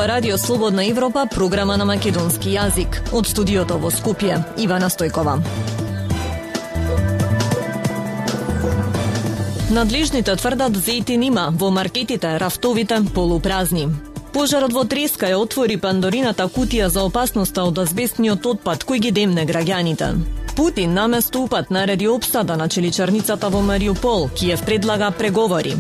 Радио Слободна Европа, програма на македонски јазик. Од студиото во Скопје, Ивана Стојкова. Надлежните тврдат зејтин има, во маркетите рафтовите полупразни. Пожарот во Треска ја отвори Пандорината кутија за опасноста од азбестниот отпад кој ги демне граѓаните. Путин наместо упат нареди опсада на челичарницата во Мариупол, Киев предлага преговори.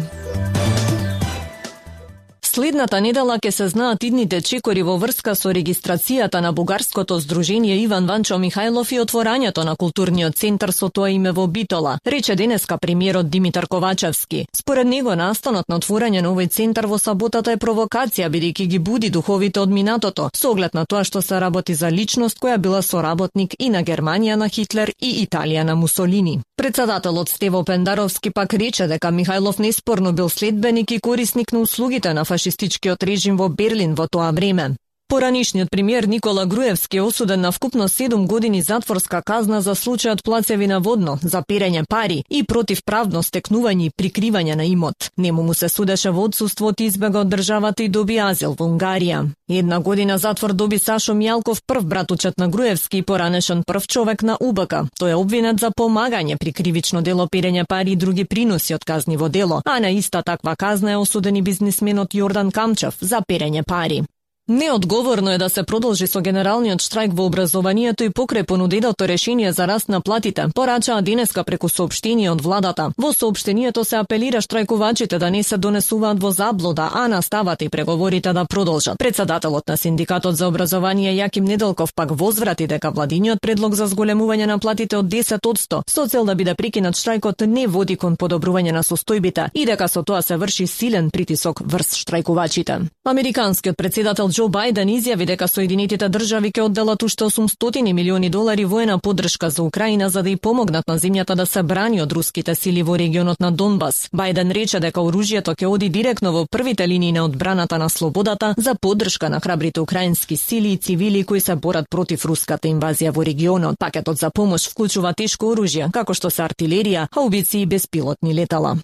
Следната недела ќе се знаат идните чекори во врска со регистрацијата на бугарското здружение Иван Ванчо Михајлов и отворањето на културниот центар со тоа име во Битола, рече денеска премиерот Димитар Ковачевски. Според него настанот на отворање на овој центар во саботата е провокација бидејќи ги буди духовите од минатото, со оглед на тоа што се работи за личност која била соработник и на Германија на Хитлер и Италија на Мусолини. Председателот Стево Пендаровски пак рече дека Михајлов неспорно бил следбеник и корисник на услугите на фашистичкиот режим во Берлин во тоа време. Поранишниот премиер Никола Груевски е осуден на вкупно 7 години затворска казна за случајот Плацевина водно, за перење пари и противправно стекнување и прикривање на имот. Нему му се судеше во отсуство од избега од државата и доби азил во Унгарија. 1 година затвор доби Сашо Мјалков, прв братучет на Груевски и поранешен прв човек на УБК. Тој е обвинет за помагање при кривично дело перење пари и други приноси од казни во дело, а на иста таква казна е осуден и бизнисменот Јордан Камчев за перење пари. Неодговорно е да се продолжи со генералниот штрајк во образованието и покрај понуденото решение за раст на платите, порачаа денеска преку соопштение од владата. Во соопштението се апелира штрајкувачите да не се донесуваат во заблуда, а настават и преговорите да продолжат. Председателот на Синдикатот за образование Јаким Неделков пак возврати дека владиниот предлог за зголемување на платите од 10% со цел да биде прекинат штрајкот не води кон подобрување на состојбите и дека со тоа се врши силен притисок врз штрајкувачите. Американскиот председател Џо Бајден изјави дека Соединетите држави ќе одделат уште $800 милиони воена поддршка за Украина за да ја помогнат на земјата да се брани од руските сили во регионот на Донбас. Бајден рече дека оружјето ќе оди директно во првите линии на одбраната на слободата за поддршка на храбрите украински сили и цивили кои се борат против руската инвазија во регионот. Пакетот за помош вклучува тешко оружје, како што се артилерија, хаубици и беспилотни летала.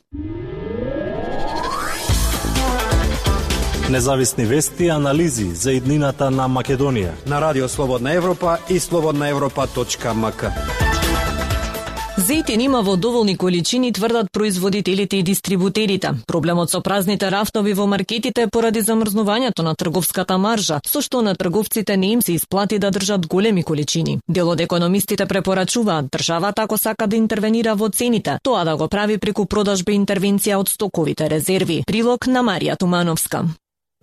Независни вести и анализи за иднината на Македонија на Радио Слободна Европа и slobodnaevropa.mk. Зејтин има во доволни количини, тврдат производителите и дистрибутерите. Проблемот со празните рафтови во маркетите е поради замрзнувањето на трговската маржа, со што на трговците не им се исплати да држат големи количини. Дел од економистите препорачуваат државата ако сака да интервенира во цените, тоа да го прави преку продажба и интервенција од стоковите резерви. Прилог на Марија Тумановска.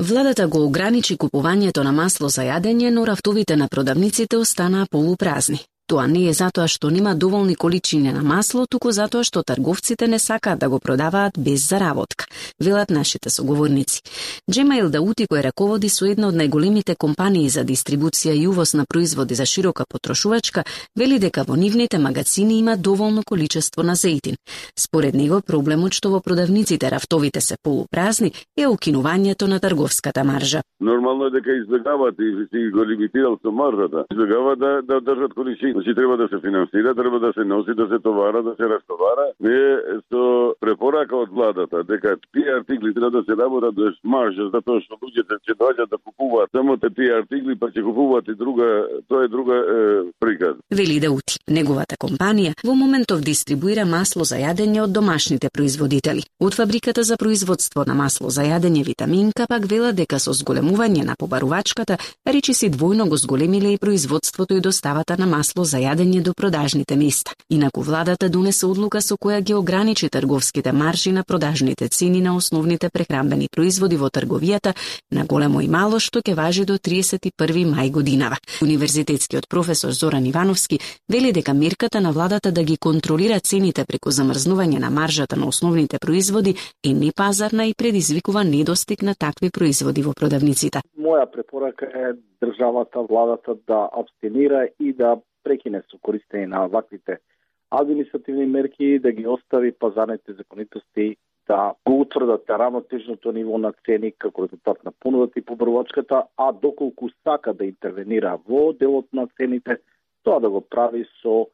Владата го ограничи купувањето на масло за јадење, но рафтовите на продавниците останаа полупразни. Тоа не е затоа што нема доволни количини на масло, туку затоа што трговците не сакаат да го продаваат без заработка, велат нашите соговорници. Джемаил Даути, кој раководи со една од најголемите компании за дистрибуција и увоз на производи за широка потрошувачка, вели дека во нивните магазини има доволно количество на зејтин. Според него, проблемот што во продавниците рафтовите се полупразни е укинувањето на трговската маржа. Нормално е дека избегават и си го лимитирал со маржата. Избегават да држат количини. Значи треба да се финансира, треба да се носи, да се товара, да се растовара. Ние со препорака од владата дека тие артикли треба да се работат без маржа, затоа што луѓето ќе доаѓаат да купуваат само тие артикли, па ќе купуваат и друга, тоа е друга приказ. Вели Даути, неговата компанија во моментов дистрибуира масло за јадење од домашните производители. Од фабриката за производство на масло за јадење Витаминка пак вела дека со зголемување на побарувачката речиси двојно го зголемиле и производството и доставата на масло за јадење до продажните места. Инаку владата донесе одлука со која ги ограничи трговските маржи на продажните цени на основните прехранбени производи во трговијата на големо и мало, што ќе важи до 31 мај годинава. Универзитетскиот професор Зоран Ивановски вели дека мерката на владата да ги контролира цените преку замрзнување на маржата на основните производи е непазарна и предизвикува недостиг на такви производи во продавниците. Моја препорака е државата, владата да абстинира и да прекине со користење на ваквите административни мерки, да ги остави пазарните законитости да го утврдат равнотежното ниво на цени како резултат на понудата и побарувачката, а доколку сака да интервенира во делот на цените, тоа да го прави со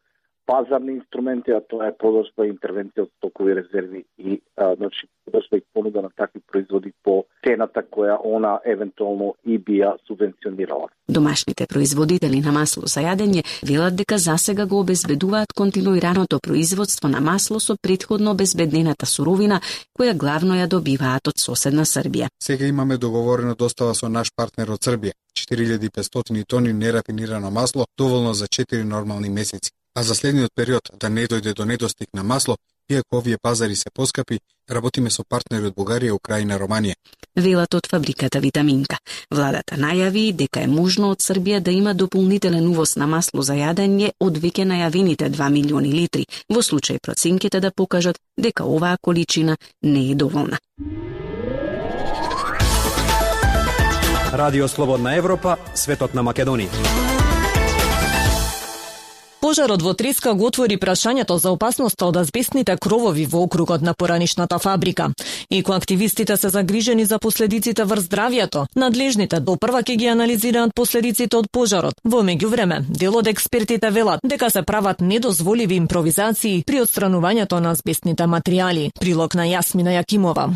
пазарни инструменти, а тоа е продажба и интервенција од стокови резерви и продажба и понуда на такви производи по цената која она евентуално и би ја субвенционирала. Домашните производители на масло за јадење велат дека засега го обезбедуваат континуираното производство на масло со претходно обезбеднената суровина, која главно ја добиваат од соседна Србија. Сега имаме договорена достава со наш партнер од Србија. 4500 тони нерафинирано масло, доволно за 4 нормални месеци. А за следниот период да не дојде до недостиг на масло, иако овие пазари се поскапи, работиме со партнери од Бугарија, Украина, Романија. Велат од фабриката Витаминка. Владата најави дека е можно од Србија да има дополнителен увоз на масло за јадење од веќе најавените 2 милиони литри, во случај проценките да покажат дека оваа количина не е доволна. Радио Слободна Европа, светот на Македонија. Пожарот во Треска го отвори прашањето за опасноста од азбестните кровови во округот на поранишната фабрика. Иако активистите се загрижени за последиците врз здравјето, надлежните допрва ќе ги анализираат последиците од пожарот. Во меѓувреме, дел од експертите велат дека се прават недозволиви импровизации при отстранувањето на азбестните материјали. Прилог на Јасмина Јакимова.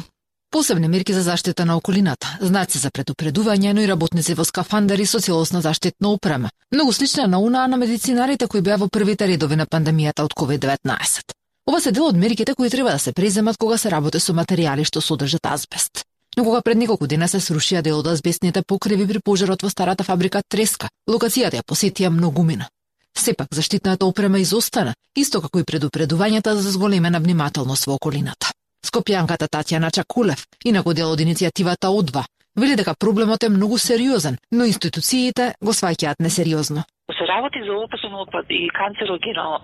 Посебни мерки за заштита на околината, знаци за предупредување, но и работници во скафандари со целосна заштитна опрема. Многу слична на онаа на медицинарите кои беа во првите редови на пандемијата од COVID-19. Ова се дел од мерките кои треба да се преземат кога се работи со материјали што содржат азбест. Но кога пред неколку дена се срушија дел од азбестните покриви при пожарот во старата фабрика Треска, локацијата ја посетија многумина. Сепак заштитната опрема изостана, исто како и предупредувањата за зголемена внимателност во околината. Скопјанката Татјана Чакулев, инаку дел од иницијативата О2, вели дека проблемот е многу сериозен, но институциите го сваќаат несериозно. Се работи за опасен отпад и канцерогено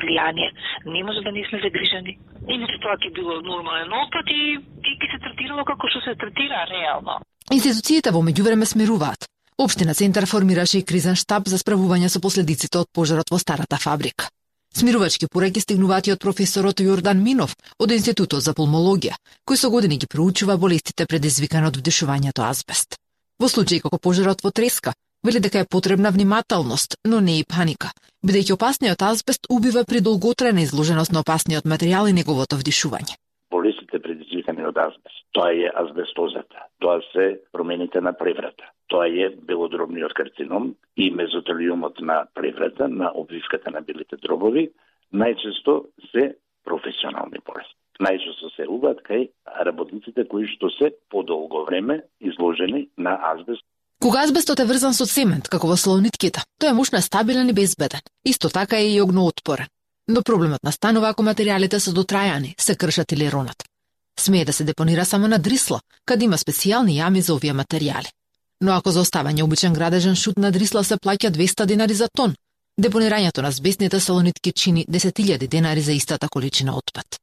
влијание, не може да не сме загрижени. Иначе тоа ќе било нормален отпад и ќе се третирало како што се третира реално. Институциите во меѓувреме смируваат. Општина Центар формираше и кризен штаб за справување со последиците од пожарот во старата фабрика. Смирувачки пораки стигнуваат и од професорот Јордан Минов од Институтот за пулмологија, кој со години ги проучува болестите предизвикани од вдишувањето азбест. Во случај како пожарот во Треска, вели дека е потребна внимателност, но не и паника, бидејќи опасниот азбест убива при долготрајна изложеност на опасниот материјал и неговото вдишување. Болестите предизвикани од азбест, тоа е азбестозата, тоа се промените на преврата, тоа е белодробниот карцином и мезотелиумот на преврата, на обвивката на белите дробови, најчесто се професионални болести. Најчесто се убаат кај работниците кои што се подолго време изложени на азбест. Кога азбестот е врзан со цемент, како во слонитките, тој е мощно стабилен и безбеден. Исто така е и огноотпорен. Но проблемот настанува ако материјалите се дотрајани, се кршат или ронат. Смее да се депонира само на дрисла, каде има специјални јами за овие материјали. Но ако за оставање обичен градежен шут на дрисла се плаќа 200 денари за тон, депонирањето на азбестните салонитки чини 10.000 денари за истата количина отпад.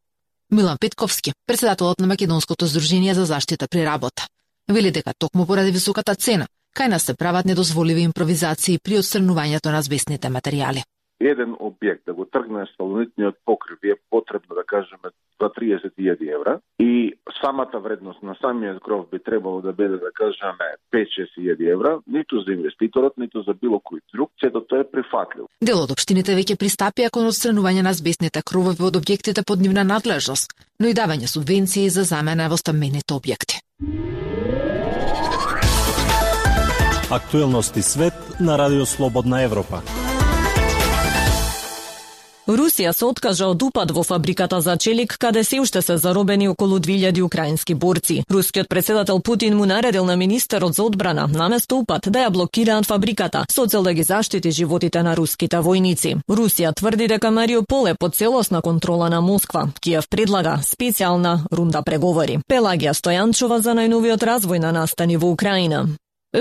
Милан Петковски, председателот на Македонското здружение за заштита при работа, вели дека токму поради високата цена, кај нас се прават недозволиви импровизации при отстранувањето на азбестните материјали. Еден објект да го тргне салонитниот покрив е потребно да кажеме за 30.000 евра и самата вредност на самиот кров би требало да биде да кажеме 5-6.000 евра, ниту за инвеститорот, ниту за било кој друг, сето тоа е прифатливо. Дел од општините веќе пристапија кон отстранување на азбестните кровови од објектите под нивна надлежност, но и давање субвенции за замена во стамбените објекти. Актуелности свет на Радио Слободна Европа. Русија се откажа од упад во фабриката за челик, каде се уште се заробени околу 2000 украински борци. Рускиот председател Путин му наредил на министерот за одбрана наместо упад да ја блокираат фабриката, со цел да ги заштити животите на руските војници. Русија тврди дека Мариупол е под целосна контрола на Москва. Киев предлага специјална рунда преговори. Пелагија Стојанчова за најновиот развој на настани во Украина.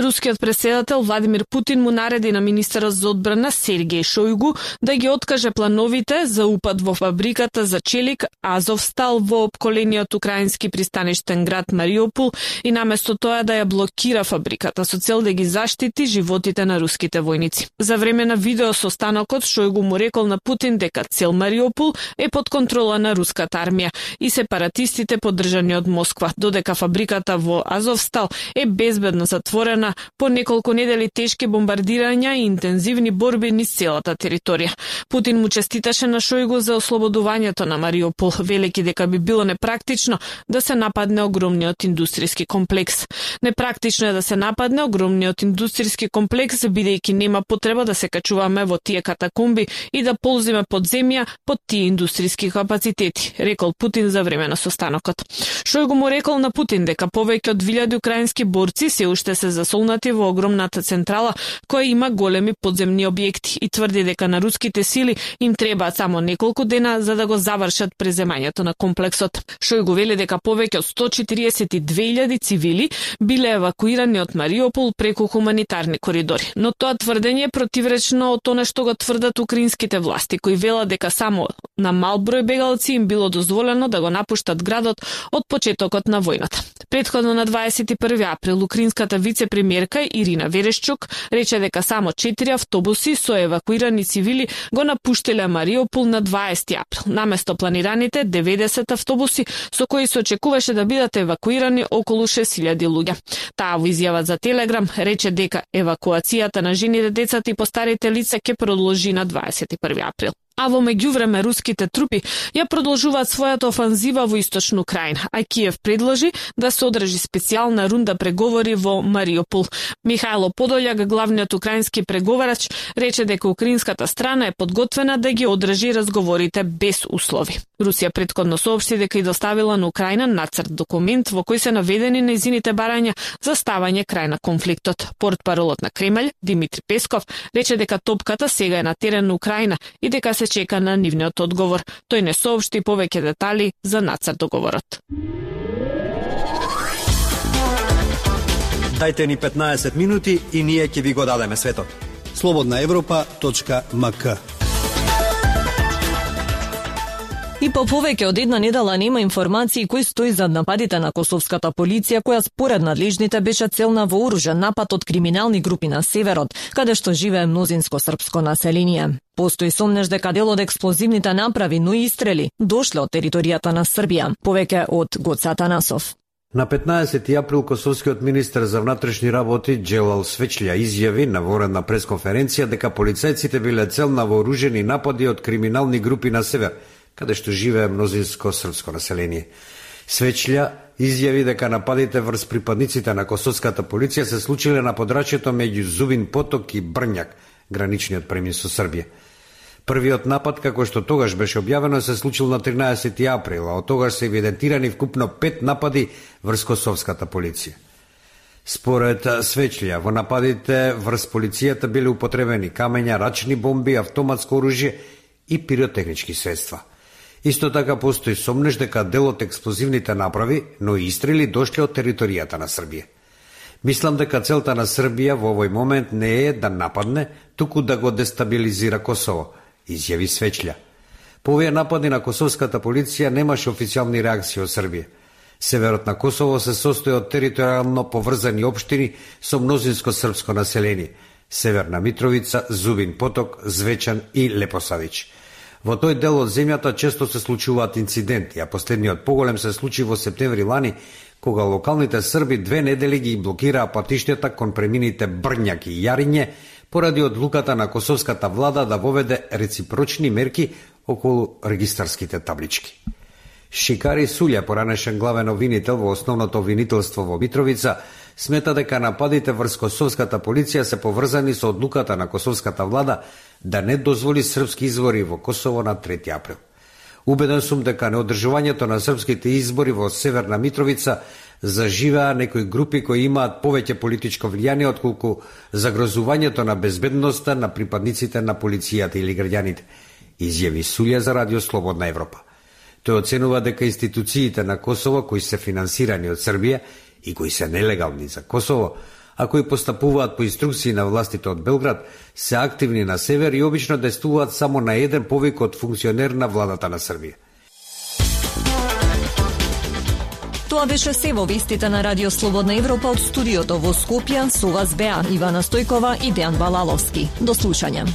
Рускиот председател Владимир Путин му нареди на министерот за одбрана Сергеј Шојгу да ги откаже плановите за упад во фабриката за челик Азовстал во опколениот украински пристаништен град Мариупол и наместо тоа да ја блокира фабриката со цел да ги заштити животите на руските војници. За време на видеосостанокот Шојгу му рекол на Путин дека цел Мариупол е под контрола на руската армија и сепаратистите поддржани од Москва, додека фабриката во Азовстал е безбедно затворена региона по неколку недели тешки бомбардирања и интензивни борби низ целата територија. Путин му честиташе на Шојгу за ослободувањето на Мариупол, велики дека би било непрактично да се нападне огромниот индустријски комплекс. Непрактично е да се нападне огромниот индустријски комплекс, бидејќи нема потреба да се качуваме во тие катакомби и да ползиме под земја под тие индустријски капацитети, рекол Путин за време на состанокот. Шојгу му рекол на Путин дека повеќе од 1000 украински борци се уште се засолнати во огромната централа која има големи подземни објекти и тврди дека на руските сили им требаат само неколку дена за да го завршат преземањето на комплексот. Шојгу вели дека повеќе од 142.000 цивили биле евакуирани од Мариупол преку хуманитарни коридори. Но тоа тврдење е противречно од тоа што го тврдат украинските власти, кои велат дека само на мал број бегалци им било дозволено да го напуштат градот од почетокот на војната. Претходно на 21 април украинската вице-премиерка Ирина Верешчук рече дека само 4 автобуси со евакуирани цивили го напуштиле Мариупол на 20 април, наместо планираните 90 автобуси со кои се очекуваше да бидат евакуирани околу 6.000 луѓе. Таа во изјава за Телеграм рече дека евакуацијата на жените, децата и постарите лица ќе продолжи на 21 април. А во меѓувреме руските трупи ја продолжуваат својата офанзива во источна Украина, а Киев предложи да се одржи специјална рунда преговори во Мариупол. Михајло Подољак, главниот украински преговарач, рече дека украинската страна е подготвена да ги одржи разговорите без услови. Русија претходно соопшти дека и доставила на Украина нацрт документ во кој се наведени нејзините барања за ставање крај на конфликтот. Портпаролот на Кремљ, Димитри Песков, рече дека топката сега е на терен на Украина и дека се чека на нивниот одговор. Тој не соопшти повеќе детали за нацрт договорот. Дајте ни 15 минути и ние ќе ви го дадеме светот. slobodnaevropa.mk. И по повеќе од една недела нема информации кои стои зад нападите на косовската полиција, која според надлежните беше цел на вооружен напад од криминални групи на северот, каде што живее мнозинско српско население. Постои сомнеж дека дел од експлозивните направи, но и истрели, дошле од територијата на Србија. Повеќе од Гоце Атанасов. На 15 април косовскиот министер за внатрешни работи Джелал Свечља изјави на воредна пресконференција дека полицајците биле цел на вооружени напади од криминални групи на север, каде што живее мнозинско српско население. Свечља изјави дека нападите врз припадниците на косовската полиција се случиле на подрачјето меѓу Зубин Поток и Брњак, граничниот премин со Србија. Првиот напад, како што тогаш беше објавено, се случил на 13 април, а од тогаш се евидентирани вкупно 5 напади врз косовската полиција. Според Свечља, во нападите врз полицијата биле употребени камења, рачни бомби, автоматско оружје и пиротехнички средства. Исто така постои сомнеж дека дел од експлозивните направи, но и истрели дошле од територијата на Србија. Мислам дека целта на Србија во овој момент не е да нападне, туку да го дестабилизира Косово, изјави Свечља. По овие напади на косовската полиција немаше официјални реакции од Србија. Северот на Косово се состои од територијално поврзани општини со мнозинско српско население: Северна Митровица, Зубин Поток, Звечан и Лепосавич. Во тој дел од земјата често се случуваат инциденти, а последниот поголем се случи во септември лани, кога локалните срби 2 недели ги блокираа патиштата кон премините Брњак и Јариње поради одлуката на косовската влада да воведе реципрочни мерки околу регистарските таблички. Шикари Сулја, поранешен главен обвинител во основното обвинителство во Митровица, смета дека нападите врз косовската полиција се поврзани со одлуката на косовската влада да не дозволи српски избори во Косово на 3 април. Убеден сум дека неодржувањето на српските избори во Северна Митровица заживеа некои групи кои имаат повеќе политичко влијание отколку загрозувањето на безбедноста на припадниците на полицијата или граѓаните, изјави Сулја за Радио Слободна Европа. Тој оценува дека институциите на Косово, кои се финансирани од Србија и кои се нелегални за Косово, а кои постапуваат по инструкции на властите од Белград, се активни на север и обично действуваат само на еден повик од функционер на владата на Србија. Тоа беше се во вестите на Радио Слободна Европа од студиото во Скопје. Со вас беа Ивана Стојкова и Дејан Балаловски. До слушање.